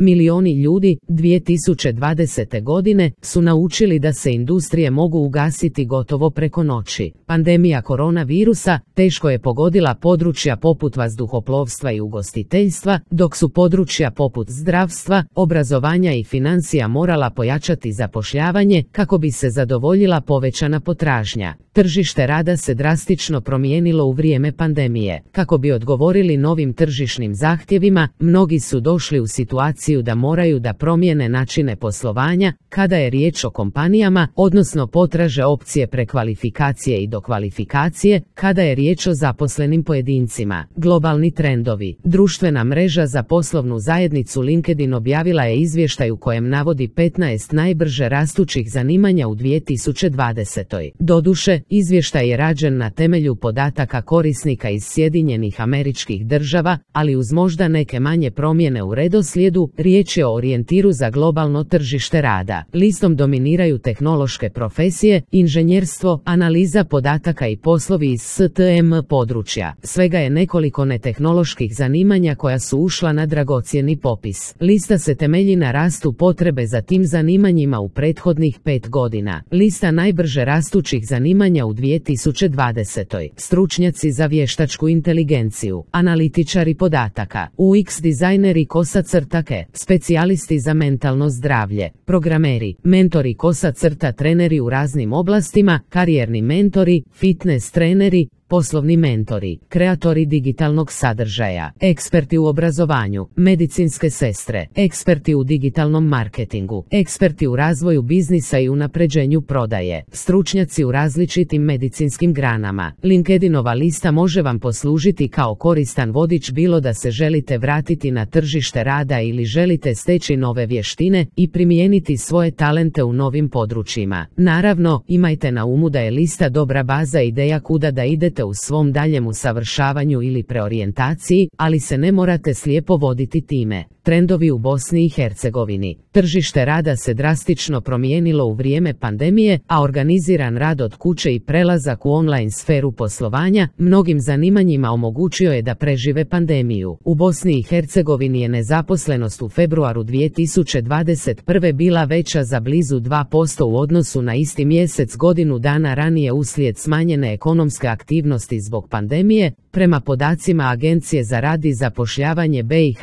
Milioni ljudi 2020. godine su naučili da se industrije mogu ugasiti gotovo preko noći. Pandemija koronavirusa teško je pogodila područja poput vazduhoplovstva i ugostiteljstva, dok su područja poput zdravstva, obrazovanja i financija morala pojačati zapošljavanje kako bi se zadovoljila povećana potražnja. Tržište rada se drastično promijenilo u vrijeme pandemije. Kako bi odgovorili novim tržišnim zahtjevima, mnogi su došli u situaciju da moraju da promijene načine poslovanja kada je riječ o kompanijama, odnosno potraže opcije prekvalifikacije i dokvalifikacije kada je riječ o zaposlenim pojedincima. Globalni trendovi. Društvena mreža za poslovnu zajednicu LinkedIn objavila je izvještaj u kojem navodi 15 najbrže rastućih zanimanja u 2020. Doduše, izvještaj je rađen na temelju podataka korisnika iz Sjedinjenih Američkih Država, ali uz možda neke manje promjene u redoslijedu, riječ je o orijentiru za globalno tržište rada. Listom dominiraju tehnološke profesije, inženjerstvo, analiza podataka i poslovi iz STM područja. Svega je nekoliko netehnoloških zanimanja koja su ušla na dragocjeni popis. Lista se temelji na rastu potrebe za tim zanimanjima u prethodnih 5 godina. Lista najbrže rastućih zanimanja u 2020. Stručnjaci za vještačku inteligenciju, analitičari podataka, UX dizajneri kosa-crtake, specijalisti za mentalno zdravlje, programeri, mentori kosa-treneri u raznim oblastima, karijerni mentori, fitness treneri, poslovni mentori, kreatori digitalnog sadržaja, eksperti u obrazovanju, medicinske sestre, eksperti u digitalnom marketingu, eksperti u razvoju biznisa i unapređenju prodaje, stručnjaci u različitim medicinskim granama. LinkedInova lista može vam poslužiti kao koristan vodič bilo da se želite vratiti na tržište rada ili želite steći nove vještine i primijeniti svoje talente u novim područjima. Naravno, imajte na umu da je lista dobra baza ideja kuda da idete u svom daljem usavršavanju ili preorijentaciji, ali se ne morate slijepo voditi time. Trendovi u Bosni i Hercegovini. Tržište rada se drastično promijenilo u vrijeme pandemije, a organiziran rad od kuće i prelazak u online sferu poslovanja mnogim zanimanjima omogućio je da prežive pandemiju. U Bosni i Hercegovini je nezaposlenost u februaru 2021. bila veća za blizu 2% u odnosu na isti mjesec godinu dana ranije uslijed smanjene ekonomske aktivnosti zbog pandemije, prema podacima Agencije za rad i zapošljavanje BiH.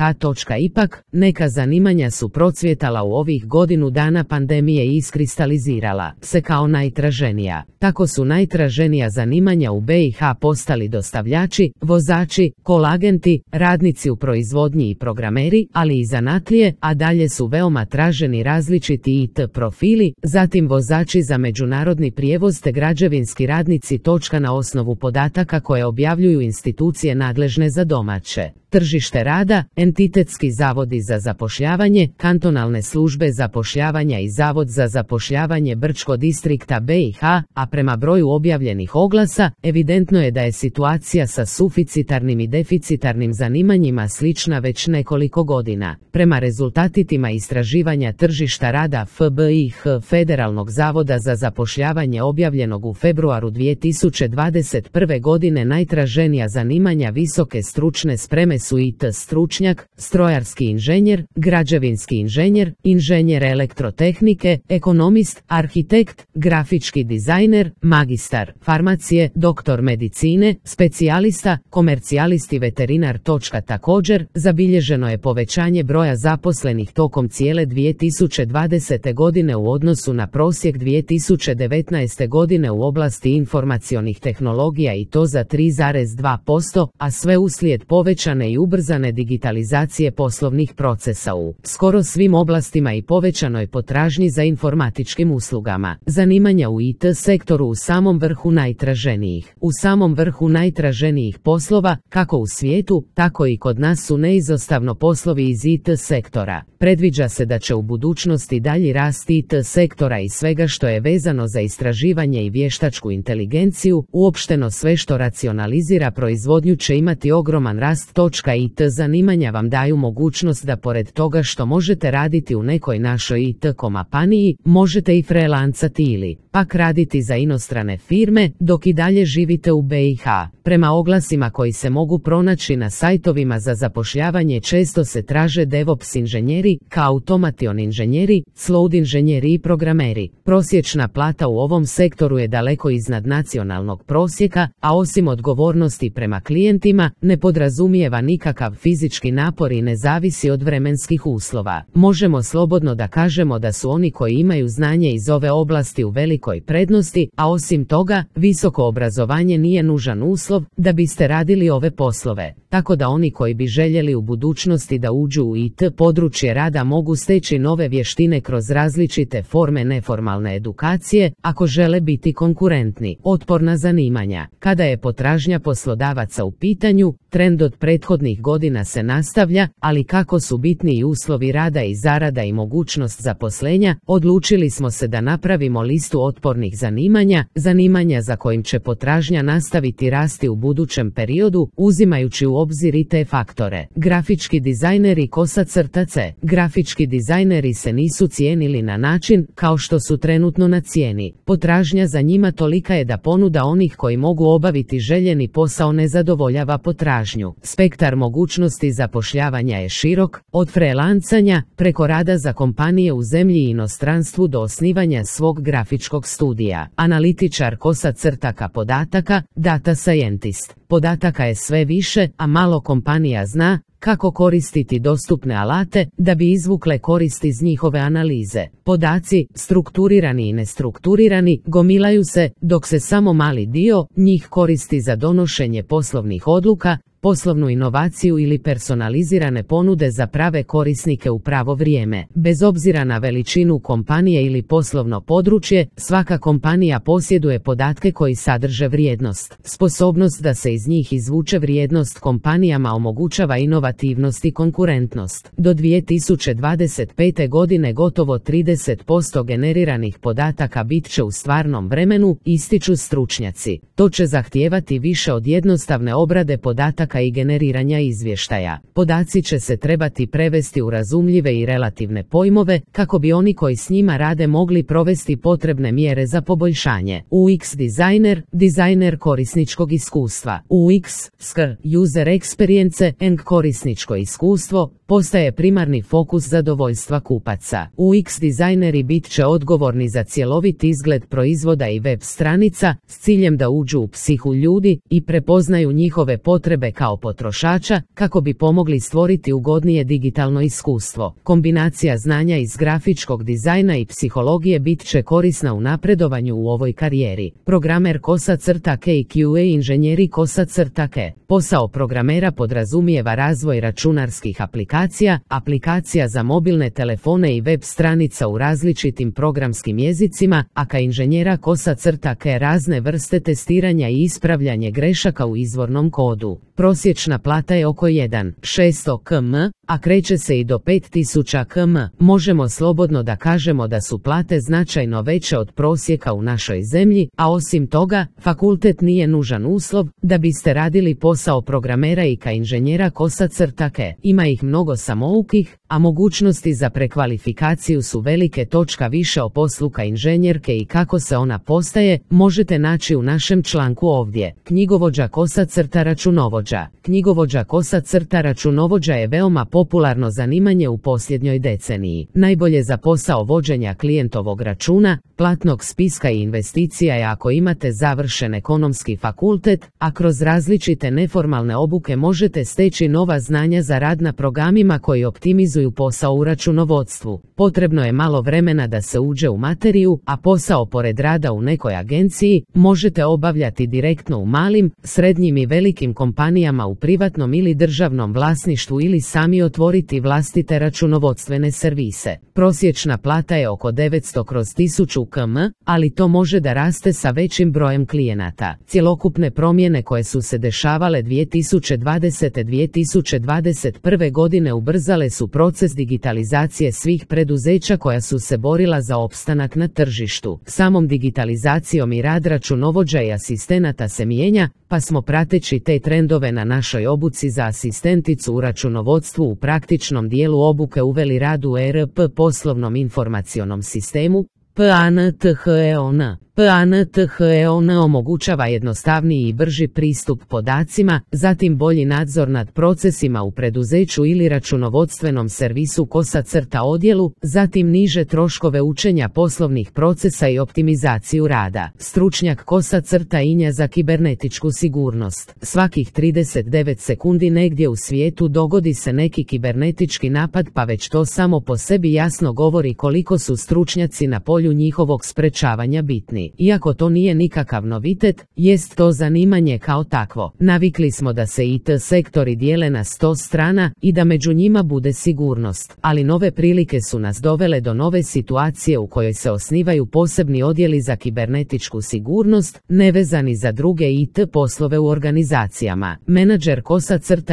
Ipak, neka zanimanja su procvjetala u ovih godinu dana pandemije i iskristalizirala se kao najtraženija. Tako su najtraženija zanimanja u BiH postali dostavljači, vozači, kolagenti, radnici u proizvodnji i programeri, ali i zanatlije, a dalje su veoma traženi različiti IT profili, zatim vozači za međunarodni prijevoz te građevinski radnici. Na osnovu podataka koje objavljuju institucije nadležne za domaće tržište rada, entitetski zavodi za zapošljavanje, kantonalne službe zapošljavanja i Zavod za zapošljavanje Brčko distrikta BiH, a prema broju objavljenih oglasa, evidentno je da je situacija sa suficitarnim i deficitarnim zanimanjima slična već nekoliko godina. Prema rezultatima istraživanja tržišta rada FBIH Federalnog zavoda za zapošljavanje objavljenog u februaru 2021. godine najtraženija zanimanja visoke stručne spreme su IT stručnjak, strojarski inženjer, građevinski inženjer, inženjer elektrotehnike, ekonomist, arhitekt, grafički dizajner, magistar farmacije, doktor medicine, specijalista, komercijalisti, veterinar. Također, zabilježeno je povećanje broja zaposlenih tokom cijele 2020. godine u odnosu na prosjek 2019. godine u oblasti informacionih tehnologija i to za 3,2%, a sve uslijed povećane i ubrzane digitalizacije poslovnih procesa u skoro svim oblastima i povećanoj potražnji za informatičkim uslugama. Zanimanja u IT sektoru u samom vrhu najtraženijih. U samom vrhu najtraženijih poslova, kako u svijetu, tako i kod nas su neizostavno poslovi iz IT sektora. Predviđa se da će u budućnosti dalji rast IT sektora i svega što je vezano za istraživanje i vještačku inteligenciju, uopšteno sve što racionalizira proizvodnju će imati ogroman rast. IT zanimanja vam daju mogućnost da pored toga što možete raditi u nekoj našoj IT kompaniji, možete i freelancati ili pak raditi za inostrane firme dok i dalje živite u BiH. Prema oglasima koji se mogu pronaći na sajtovima za zapošljavanje često se traže DevOps inženjeri, kao automation inženjeri, cloud inženjeri i programeri. Prosječna plata u ovom sektoru je daleko iznad nacionalnog prosjeka, a osim odgovornosti prema klijentima, ne podrazumijeva nikakav fizički napor i ne zavisi od vremenskih uslova. Možemo slobodno da kažemo da su oni koji imaju znanje iz ove oblasti u velikoj prednosti, a osim toga, visoko obrazovanje nije nužan uslov da biste radili ove poslove. Tako da oni koji bi željeli u budućnosti da uđu u IT područje rada mogu steći nove vještine kroz različite forme neformalne edukacije, ako žele biti konkurentni. Otporna zanimanja. Kada je potražnja poslodavaca u pitanju, trend od prethodnih godina se nastavlja, ali kako su bitni i uslovi rada i zarada i mogućnost zaposlenja, odlučili smo se da napravimo listu otpornih zanimanja za kojim će potražnja nastaviti rasti u budućem periodu, uzimajući u obzir i te faktore. Grafički dizajneri /C. Grafički dizajneri se nisu cijenili na način kao što su trenutno na cijeni. Potražnja za njima tolika je da ponuda onih koji mogu obaviti željeni posao ne zadovoljava potražnju. Spektar mogućnosti zapošljavanja je širok, od freelancanja preko rada za kompanije u zemlji i inostranstvu do osnivanja svog grafičkog studija. Analitičar podataka, data scientist. Podataka je sve više, a malo kompanija zna kako koristiti dostupne alate da bi izvukle korist iz njihove analize. Podaci, strukturirani i nestrukturirani, gomilaju se, dok se samo mali dio njih koristi za donošenje poslovnih odluka, poslovnu inovaciju ili personalizirane ponude za prave korisnike u pravo vrijeme. Bez obzira na veličinu kompanije ili poslovno područje, svaka kompanija posjeduje podatke koji sadrže vrijednost. Sposobnost da se iz njih izvuče vrijednost kompanijama omogućava inovativnost i konkurentnost. Do 2025. godine gotovo 30% generiranih podataka bit će u stvarnom vremenu, ističu stručnjaci. To će zahtijevati više od jednostavne obrade podataka i generiranja izvještaja. Podaci će se trebati prevesti u razumljive i relativne pojmove, kako bi oni koji s njima rade mogli provesti potrebne mjere za poboljšanje. UX dizajner korisničkog iskustva. UX, user experience and korisničko iskustvo, postaje primarni fokus zadovoljstva kupaca. UX dizajneri bit će odgovorni za cjelovit izgled proizvoda i web stranica, s ciljem da uđu u psihu ljudi i prepoznaju njihove potrebe kao potrošača, kako bi pomogli stvoriti ugodnije digitalno iskustvo. Kombinacija znanja iz grafičkog dizajna i psihologije bit će korisna u napredovanju u ovoj karijeri. Programer /K i QA inženjeri /K. Posao programera podrazumijeva razvoj računarskih aplikacija za mobilne telefone i web stranica u različitim programskim jezicima, a ka inženjera /K razne vrste testiranja i ispravljanje grešaka u izvornom kodu. Prosječna plata je oko 1.600 km, a kreće se i do 5000 km. Možemo slobodno da kažemo da su plate značajno veće od prosjeka u našoj zemlji, a osim toga, fakultet nije nužan uslov da biste radili posao programera i ka inženjera /K. Ima ih mnogo samoukih, a mogućnosti za prekvalifikaciju su velike. Više o poslu ka inženjerke i kako se ona postaje možete naći u našem članku ovdje. Knjigovođa računovođa. Knjigovođa računovođa je veoma popularno zanimanje u posljednjoj deceniji. Najbolje za posao vođenja klijentovog računa, platnog spiska i investicija je ako imate završen ekonomski fakultet, a kroz različite neformalne obuke možete steći nova znanja za rad na programima koji optimizuju posao u računovodstvu. Potrebno je malo vremena da se uđe u materiju, a posao pored rada u nekoj agenciji možete obavljati direktno u malim, srednjim i velikim kompanijama u privatnom ili državnom vlasništvu ili sami otvoriti vlastite računovodstvene servise. Prosječna plata je oko 900/1000 km, ali to može da raste sa većim brojem klijenata. Cjelokupne promjene koje su se dešavale 2020-2021 godine ubrzale su proces digitalizacije svih preduzeća koja su se borila za opstanak na tržištu. Samom digitalizacijom i rad računovođa i asistenata se mijenja, pa smo prateći te trendove na našoj obuci za asistenticu u računovodstvu u praktičnom dijelu obuke uveli rad u ERP poslovnom informacionom sistemu, PANTHEON. PANTHEON omogućava jednostavniji i brži pristup podacima, zatim bolji nadzor nad procesima u preduzeću ili računovodstvenom servisu odjelu, zatim niže troškove učenja poslovnih procesa i optimizaciju rada. Stručnjak INJA za kibernetičku sigurnost. Svakih 39 sekundi negdje u svijetu dogodi se neki kibernetički napad, pa već to samo po sebi jasno govori koliko su stručnjaci na polju njihovog sprečavanja bitni. Iako to nije nikakav novitet, jest to zanimanje kao takvo. Navikli smo da se IT sektori dijele na 100 strana i da među njima bude sigurnost, ali nove prilike su nas dovele do nove situacije u kojoj se osnivaju posebni odjeli za kibernetičku sigurnost, nevezani za druge IT poslove u organizacijama. Menadžer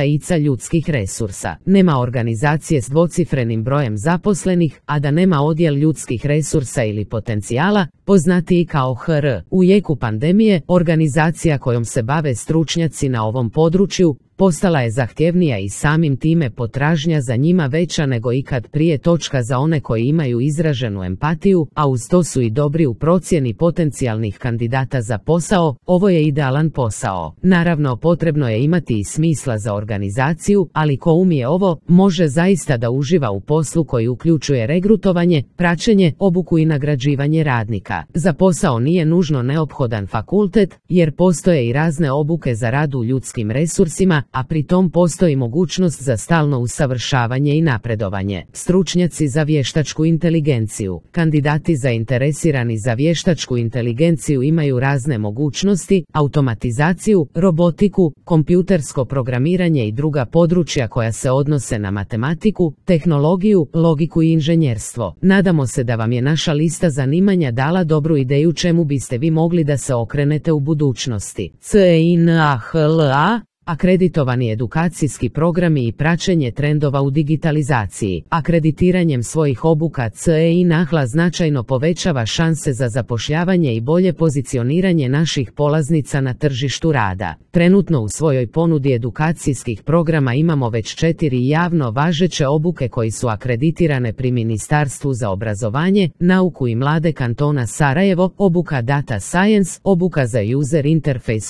ICA ljudskih resursa. Nema organizacije s dvocifrenim brojem zaposlenih, a da nema odjel ljudskih resursa ili potencijala, poznatiji kao HR. U jeku pandemije, organizacija kojom se bave stručnjaci na ovom području postala je zahtjevnija i samim time potražnja za njima veća nego ikad prije. Za one koji imaju izraženu empatiju, a uz to su i dobri u procjeni potencijalnih kandidata za posao, ovo je idealan posao. Naravno, potrebno je imati i smisla za organizaciju, ali ko umije ovo, može zaista da uživa u poslu koji uključuje regrutovanje, praćenje, obuku i nagrađivanje radnika. Za posao nije nužno neophodan fakultet, jer postoje i razne obuke za rad u ljudskim resursima, a pri tom postoji mogućnost za stalno usavršavanje i napredovanje. Stručnjaci za vještačku inteligenciju. Kandidati zainteresirani za vještačku inteligenciju imaju razne mogućnosti, automatizaciju, robotiku, kompjutersko programiranje i druga područja koja se odnose na matematiku, tehnologiju, logiku i inženjerstvo. Nadamo se da vam je naša lista zanimanja dala dobru ideju čemu biste vi mogli da se okrenete u budućnosti. CINAHLA akreditovani edukacijski programi i praćenje trendova u digitalizaciji. Akreditiranjem svojih obuka CINAHLA značajno povećava šanse za zapošljavanje i bolje pozicioniranje naših polaznica na tržištu rada. Trenutno u svojoj ponudi edukacijskih programa imamo već 4 javno važeće obuke koji su akreditirane pri Ministarstvu za obrazovanje, nauku i mlade kantona Sarajevo, obuka Data Science, obuka za User Interface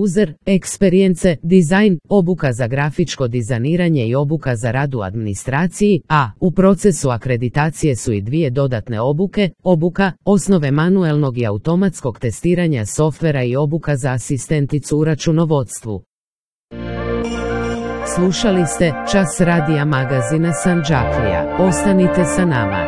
User Experience Design, obuka za grafičko dizajniranje i obuka za rad u administraciji, a u procesu akreditacije su i 2 dodatne obuke, obuka osnove manuelnog i automatskog testiranja softvera i obuka za asistenticu u računovodstvu. Slušali ste Čas radija magazina Sandžaklija. Ostanite sa nama.